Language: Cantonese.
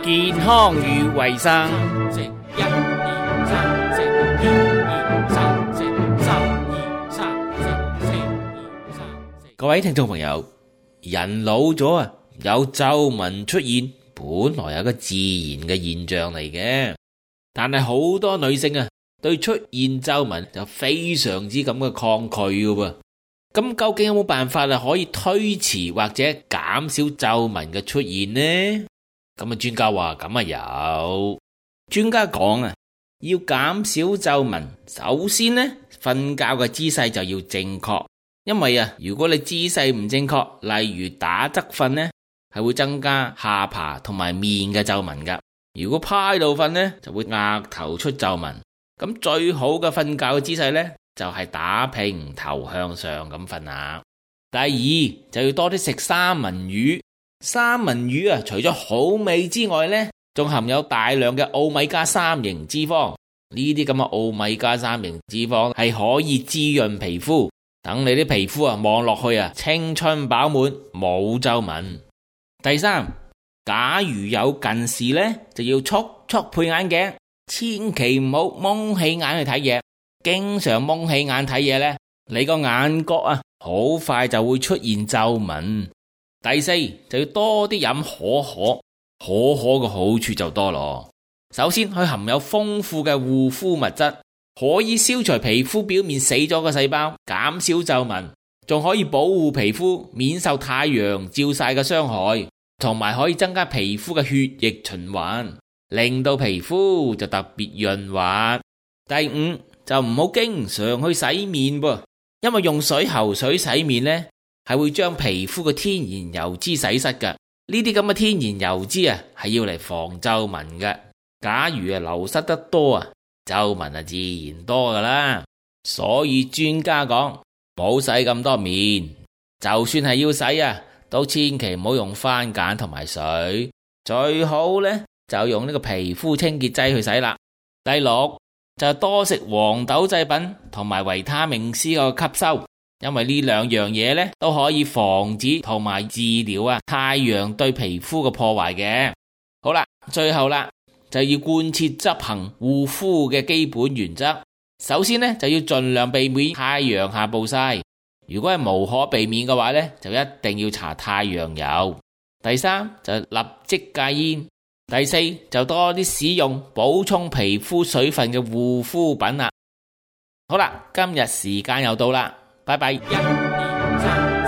健康與衛生。食1、2、3，食1、2、3，食3、2、3，食4、2、3。各位聽眾朋友，人老咗啊，有皺紋出現，本來係個自然嘅現象嚟嘅，但係好多女性啊，對出現皺紋就非常之咁嘅抗拒㗎喎。咁究竟有冇辦法可以推遲或者減少皺紋嘅出現呢？咁專家話咁有。專家講啊，要減少皺紋，首先呢，瞓覺嘅姿勢就要正確。因為如果你姿勢唔正確，例如打側瞓呢，係會增加下巴同埋面嘅皺紋噶。如果趴喺度瞓呢，就會額頭出皺紋。咁最好嘅瞓覺嘅姿勢呢，就係打平頭向上咁瞓下。第二就要多啲食三文魚。三文魚除咗好味之外呢，仲含有大量嘅奧米加3型脂肪。呢啲咁嘅奧米加3型脂肪係可以滋潤皮膚，等你啲皮膚望落去青春飽滿，冇皺紋。第三，假如有近視呢，就要速配眼鏡，千祈唔好蒙起眼去睇嘢。經常蒙起眼睇嘢呢，你個眼角好快就會出現皺紋。第四，就要多啲飲可可。可可嘅好處就多咯。首先，佢含有豐富嘅護膚物質，可以消除皮膚表面死咗嘅細胞，減少皺紋，仲可以保護皮膚免受太陽照曬嘅傷害，同埋可以增加皮膚嘅血液循環，令到皮膚就特別潤滑。第五，就唔好經常去洗面噃，因為用水喉水洗面呢，係會將皮膚嘅天然油脂洗失㗎。呢啲咁嘅天然油脂係要嚟防皺紋㗎。假如流失得多皺紋自然多㗎啦。所以專家講，唔好洗咁多面，就算係要洗都千祈唔好用番梘同埋水，最好呢，就用呢個皮膚清潔劑去洗啦。第六，就多食黃豆製品同埋維他命 C 嘅吸收，因為呢兩樣嘢呢，都可以防止同埋治療太陽對皮膚嘅破壞嘅。好啦，最後啦，就要貫徹執行護膚嘅基本原則。首先呢，就要盡量避免太陽下暴曬，如果係無可避免嘅話呢，就一定要搽太陽油。第三，就立即戒煙。第四，就多啲使用補充皮膚水分嘅護膚品啦。好啦，今日時間又到啦，拜拜。1、2、3。